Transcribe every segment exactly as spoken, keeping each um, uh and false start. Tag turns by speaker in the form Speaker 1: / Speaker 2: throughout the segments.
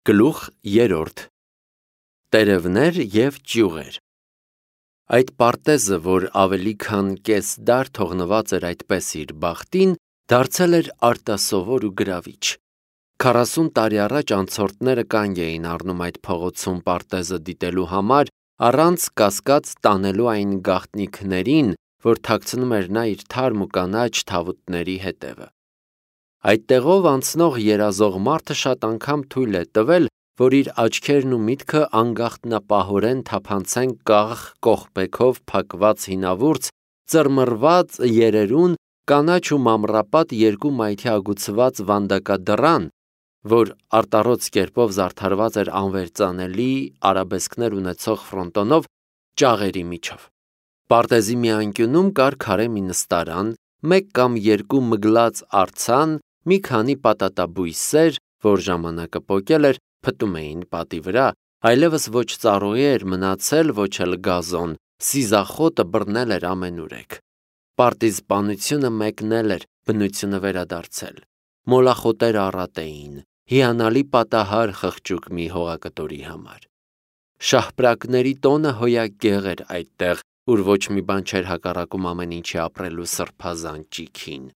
Speaker 1: Գլուխ երրորդ Տերևներ և ճյուղեր Այդ պարտեզը, որ ավելի քան կես դար թողնված էր այդպես իր բախտին, դարձել էր արտասովոր ու գրավիչ։ Քառասուն տարի առաջ անցորդները կանգ էին առնում այդ փողոցում պարտեզը դիտելու համար, առանց կասկած տանելու այն գաղտնիքներին, որ թաքցնում էր նա իր թարմ ու կանաչ թավուտների հետևը։ Այդ տեղով անցնող երազող մարդը շատ անգամ թույլ է տվել, որ իր աչքերն ու միտքը անգաղտնապահորեն թափանցեն կաղ կողպեքով փակված հինավուրց, ծռմռված երերուն, կանաչ ու մանրապատ երկու մայթի ագուցված վանդակադռան, որ արտառոց կերպով զարդարված էր անվերծանելի արաբեսկներ ունեցող ֆրոնտոնով, ճաղերի միջով։ Պարտեզի մի անկյունում կար քարե մի նստարան, մեկ կամ երկու մգլած արձան, մի քանի պատատաբույսեր, որ ժամանակը պոկել էր, փտում էին պատի վրա, այլևս ոչ ծառուղի էր մնացել, ոչ էլ գազոն, սիզախոտը բռնել էր ամենուրեք։ Պարտիզպանությունը մեկնել էր, բնությունը վերադարձել։ Մոլախոտերը առատ էին, հիանալի պատահար խղճուկ մի հողակտորի համար։ Շահպրակների տոնը հոյակեղ էր այդտեղ, ուր ոչ մի բան չէր հակառակում ամեն ինչի ապրելու սրբազան ճիգին։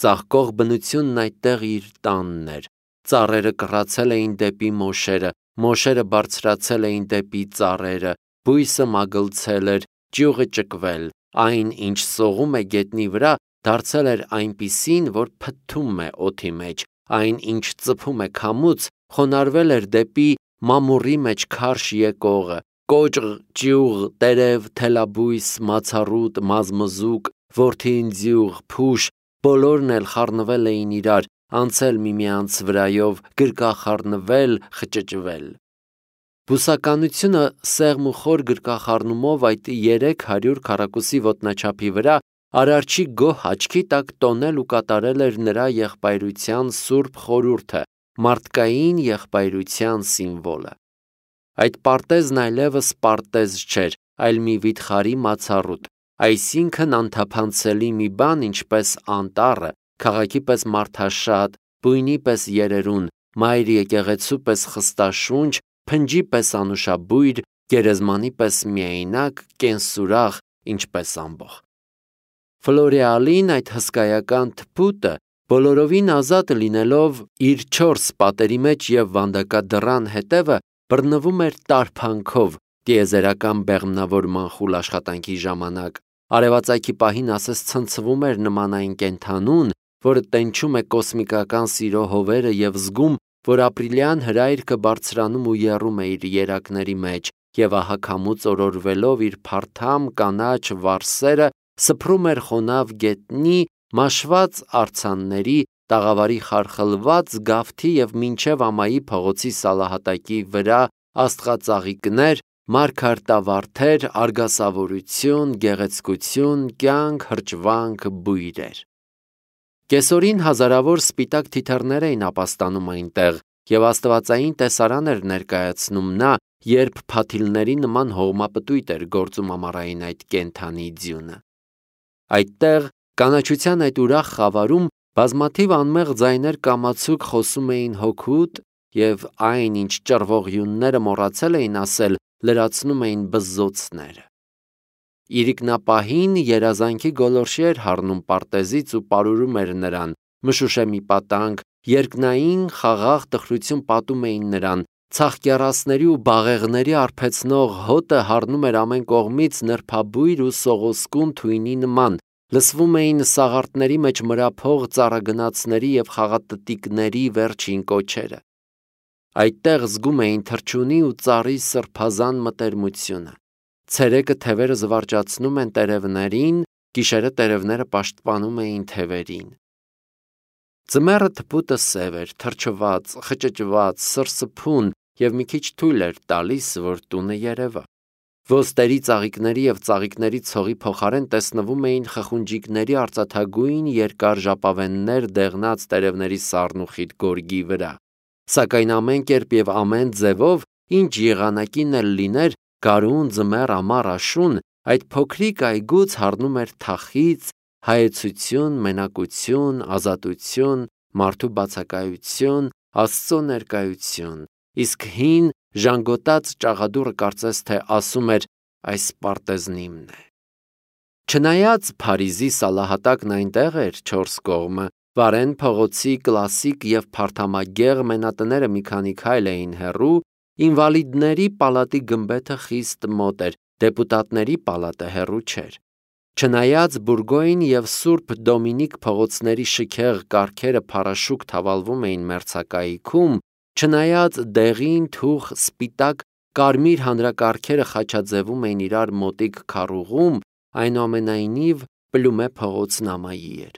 Speaker 1: Ծաղկող բնությունն այդտեղ իր տանն էր, ծառերը կռացել էին դեպի մոշերը, մոշերը բարձրացել էին դեպի ծառերը, բույսը մագլցել էր, ճյուղը ճկվել, այն, ինչ սողում է գետնի վրա, դարձել էր այնպիսին, որ փթթում է օդի մեջ, այն, ինչ ծփում է քամուց, խոնարհվել էր դեպի մամուռի մեջ քարշ եկողը, կոճղ, ճյուղ, տերև, թելաբույս, մացառուտ, մազմզուկ, որդիընձյուղ, փուշ, բոլորն էլ խառնվել էին իրար, անցել միմյանց վրայով, գրկախառնվել, խճճվել։ Բուսականությունը սեղմ ու խոր գրկախառնումով այդ երեք հարյուր քառակուսի ոտնաչափի վրա Արարչի գոհ աչքի տակ տոնել ու կատարել էր նրա եղբայրության սուրբ խորհուրդը, մարդկային եղբայրության սիմվոլը։ Այդ պարտեզն այլևս պարտեզ չէր, այլ մի վիթխարի մացառուտ, այսինքն անթափանցելի մի բան, ինչպես անտառը, քաղաքի պես մարդաշատ, բույնի պես երերուն, մայր եկեղեցու պես խստաշունչ, փնջի պես անուշաբույր, գերեզմանի պես միայնակ, կենսուրախ, ինչպես ամբոխ։ Ֆլորեալին այդ հսկայական թփուտը, բոլորովին ազատ լինելով իր չորս պատերի մեջ և վանդակադռան հետևը, բռնվում էր տարփանքով, տիեզերական բեղմնավորման խուլ աշխատանքի ժամանակ, արևածագի պահին ասես ցնցվում էր նման այն կենդանուն, որը տենչում է կոսմիկական սիրո հովերը և զգում, որ ապրիլյան հրայրքը բարձրանում ու եռում է իր երակների մեջ, և ահա քամուց օրորվելով իր փարթամ կանաչ վարսերը, սփռում էր խոնավ գետնի, մաշված արձանների, տաղավարի խարխլված գավթի և մինչև ամայի փողոցի սալահատակի վրա աստղածաղիկներ, մարգարտավարդեր, արգասավորություն, գեղեցկություն, կյանք, հրճվանք, բույրեր։ Կեսօրին հազարավոր սպիտակ թիթեռներ էին ապաստանում այնտեղ, և աստվածային տեսարան էր ներկայացնում նա, երբ փաթիլների նման հողմապտույտ էր գործում ամառային այդ կենդանի ձյունը։ Այդտեղ, կանաչության այդ ուրախ խավարում, բազմաթիվ անմեղ ձայներ կամացուկ խոսում էին հոգուտ, և այն, ինչ ճռվողյունները մոռացել էին ասել, լրացնում էին բզզոցները։ Իրիկնապահին երազանքի գոլորշի էր հառնում պարտեզից ու պարուրում էր նրան, մշուշե մի պատանք, երկնային խաղաղ տխրություն պատում էին նրան, ցախկեռասների ու բաղեղների արբեցնող հոտը հառնում էր ամեն կողմից նրբաբույր ու սողոսկուն թույնի նման, լսվում էին սաղարթների մեջ մրափող ծառագնացների և խաղատտիկների վերջին կոչերը։ Այդտեղ զգում էին թռչունի ու ծառի սրբազան մտերմությունը։ Ցերեկը թևերը զվարճացնում են տերևներին, գիշերը տերևները պաշտպանում էին թևերին։ Ձմեռը թփուտը սև էր, թրջված, խճճված, սրսփուն և մի քիչ թույլ էր տալիս, որ տունը երևա։ Ոստերի ծաղիկների և ծաղիկների ցողի փոխարեն տեսնվում էին խխունջիկների արծաթագույն երկար ժապավեններ դեղնած տերևների սառնուխիտ գորգի վրա։ Սակայն ամեն կերպ և ամեն ձևով, ինչ եղանակին էլ լիներ, գարուն, ձմեռ, ամառ, աշուն, այդ փոքրիկ այգուց հառնում էր թախիծ, հայեցություն, մենակություն, ազատություն, մարդու բացակայություն, Աստծո ներկայություն, իսկ հին ժանգոտած ճաղադուռը կարծես թե ասում էր այս պարտեզն իմն է։ Չնայած Փարիզի սալահատակն այնտեղ էր չորս կողմը, Վարեն փողոցի կլասիկ և փարթամագեղ մենատները մի քանի քայլ էին հեռու, ինվալիդների պալատի գմբեթը խիստ մոտ էր, դեպուտատների պալատը հեռու չէր։ Չնայած Բուրգոյն և Սուրբ Դոմինիկ փողոցների շքեղ կառքերը փարաշուկ թավալվում էին մերձակայքում, չնայած դեղին, թուխ, սպիտակ, կարմիր հանրակառքերը խաչաձևում էին իրար մոտիկ քառուղում, այնուամենայնիվ Պլումե փողոցն ամայի էր։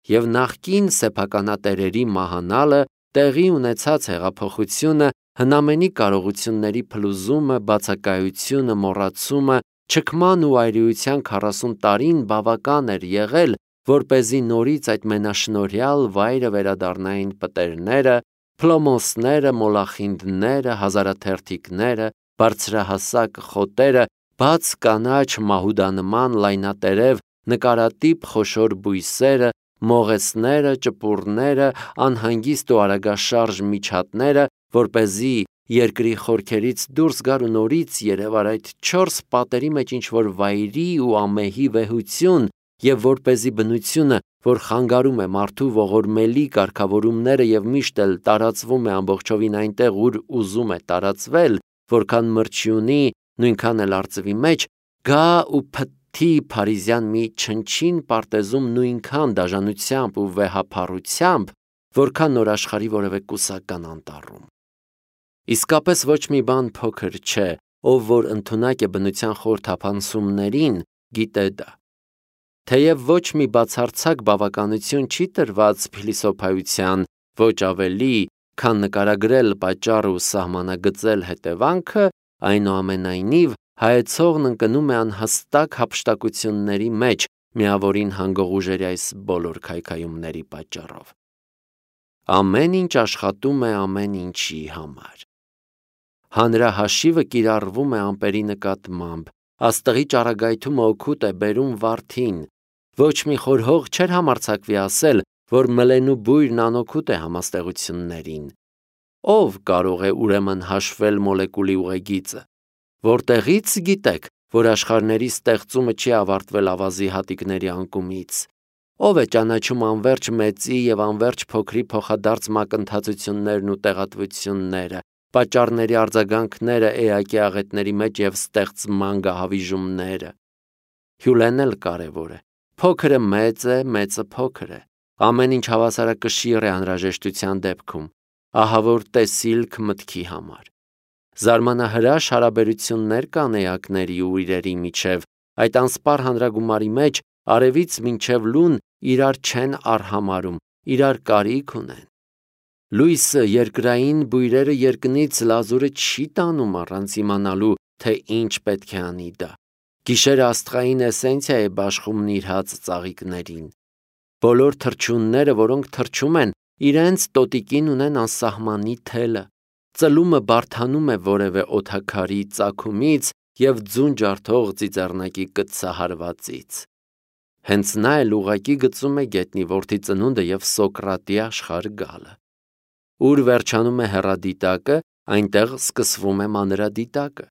Speaker 1: Եվ նախկին սեփականատերերի մահանալը, տեղի ունեցած հեղափոխությունը, հնամենի կարողությունների փլուզումը, բացակայությունը, մոռացումը, չքման ու այրիության քառասուն տարին բավական էր եղել, որպեսզի նորից այդ մենաշնորհյալ վայրը վերադառնային պտերները, փլոմոսները, մոլախինդները, հազարաթերթիկները, բարձրահասակ խոտերը, բաց կանաչ մահուդանման լայնատերև նկարատիպ խոշոր բույսերը, մողեսները, ճպուռները, անհանգիստ ու արագաշարժ միջատները, որպեսզի երկրի խորքերից դուրս գար ու նորից երևար այդ չորս պատերի մեջ ինչ-որ վայրի ու ամեհի վեհություն, և որպեսզի բնությունը, որ խանգարում է մարդու ողորմելի կարգավորումները և միշտ էլ տարածվում է ամբողջովին այնտեղ, ուր ուզում է տարածվել, որքան մրջի ունի, նույնքան էլ արծվի մեջ, գա ու փթթի փարիզյան մի չնչին պարտեզում նույնքան դաժանությամբ ու վեհափառությամբ, որքան նոր աշխարհի որևէ կուսական անտառում։ Իսկապես ոչ մի բան փոքր չէ, ով որ ընդունակ է բնության խոր թափանցումներին, գիտե դա։ Թեև ոչ մի բացարձակ բավականություն չի տրված փիլիսոփայության, ոչ ավելի, քան նկարագրել պատճառը ու սահմանագծել հետևանքը, այնուամենայնիվ հայեցողն ընկնում է անհստակ հափշտակությունների մեջ, միավորին հանգող ուժերի այս բոլոր քայքայումների պատճառով։ Ամեն ինչ աշխատում է ամեն ինչի համար։ Հանրահաշիվը կիրառվում է ամպերի նկատմամբ, աստղի ճառագայթումը օգուտ է բերում վարդին, ոչ մի խորհող չէր համարձակվի ասել, որ մլենու բույրն անօգուտ է համաստեղություններին։ Ով կարող է ուրեմն հաշվել մոլեկուլի ուղեգիծը։ Որտեղի՞ց գիտեք, որ աշխարհների ստեղծումը չի ավարտվել ավազի հատիկների անկումից։ Ով է ճանաչում անվերջ մեծի և անվերջ փոքրի փոխադարձ մակընթացություններն ու տեղատվությունները, պատճառների արձագանքները էակի աղետների մեջ և ստեղծման գահավիժումները։ Հյուլեն էլ կարևոր է։ Փոքրը մեծ է, մեծը փոքր է։ Ամեն ինչ հավասարակշիռ է անհրաժեշտության դեպքում։ Ահա որ տեսիլք մտքի համար։ Զարմանահրաշ հարաբերություններ կան էակների ու իրերի միջև, այդ անսպառ հանրագումարի մեջ արևից մինչև լուն իրար չեն արհամարհում, իրար կարիք ունեն։ Լույսը, երկրային բույրերը երկնից լազուրը չի տանում առանց իմանալու, թե ինչ պետք է անի դա։ Գիշերը աստղային էսենցիա է բաշխում նիրհած ծաղիկներին։ Բոլոր թռչունները, որոնք թռչում են, իրենց տոտիկին ունեն անսահմանի թելը։ Ծլումը բարդանում է որևէ օդաքարի ծագումից և ձուն ջարդող ծիծեռնակի կտցահարվածից։ Հենց նա էլ ուղղակի գծում է գետնի որդի ծնունդը և Սոկրատի աշխարհ գալը։ Ուր վերջանում է հեռադիտակը, այնտեղ սկսվում է մանրադիտակը։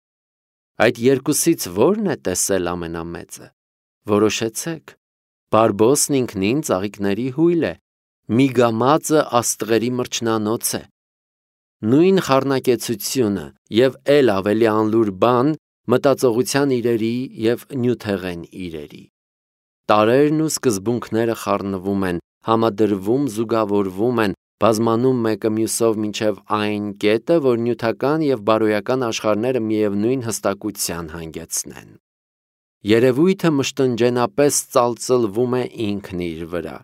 Speaker 1: Այդ երկուսից ո՞րն է տեսել ամենամեծը։ Որոշեցեք։ Բարբոսն ինքնին ծաղիկների հույլ է, Միգամածը աստղերի մրջնանոց է։ Նույն խառնակեցությունը և էլ ավելի անլուր բան մտածողության իրերի և նյութեղեն իրերի։ Տարրերն ու սկզբունքները խառնվում են, համադրվում, զուգավորվում են, բազմանում մեկը մյուսով մինչև այն կետը, որ նյութական և բարոյական աշխարհները միևնույն հստակության հանգեցնեն։ Երևույթը մշտնջենապես ծալծլվում է ինքն իր վրա։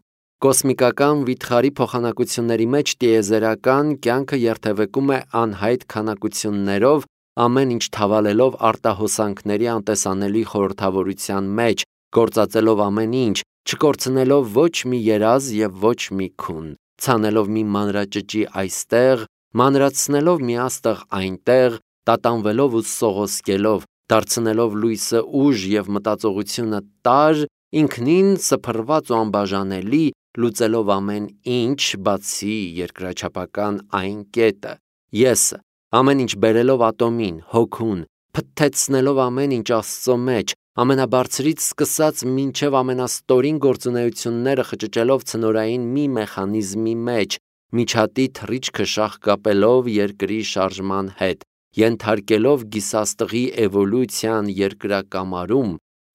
Speaker 1: Կոսմիկական վիթխարի փոխանակությունների մեջ տիեզերական կյանքը երթևեկում է անհայտ քանակություններով, ամեն ինչ թավալելով արտահոսանքների անտեսանելի խորհրդավորության մեջ, գործածելով ամեն ինչ, չկորցնելով ոչ մի երազ և ոչ մի քուն, ցանելով մի մանրաճճի այստեղ, մանրացնելով մի աստղ այնտեղ, տատանվելով ու սողոսկելով, դարձնելով լույսը ուժ և մտածողությունը տարր, ինքնին սփռված ու անբաժանելի, լուծելով ամեն ինչ, բացի երկրաչափական այն կետը, եսը, ամեն ինչ բերելով ատոմին, հոգուն, փթթեցնելով ամեն ինչ Աստծո մեջ, ամենաբարձրից սկսած մինչև ամենաստորին գործունեությունները խճճելով ցնորային մի մեխանիզմի մեջ, միջատի թռիչքը շաղկապելով երկրի շարժման հետ, ենթարկելով գիսաստղի էվոլյուցիան երկրակամարում,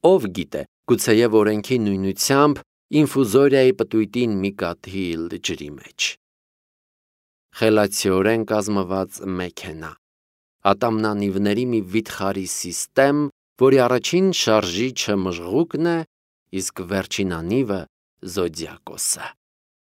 Speaker 1: ով գիտե, գուցեև օրենքի նույնությամբ ինֆուզորիայի պտույտին մի կաթիլ ջրի մեջ։ Խելացիորեն կազմված մեքենա, ատամնանիվների մի վիթխարի սիստեմ, որի առաջին շարժիչը մժղուկն է, իսկ վերջին անիվը Զոդիակոսը։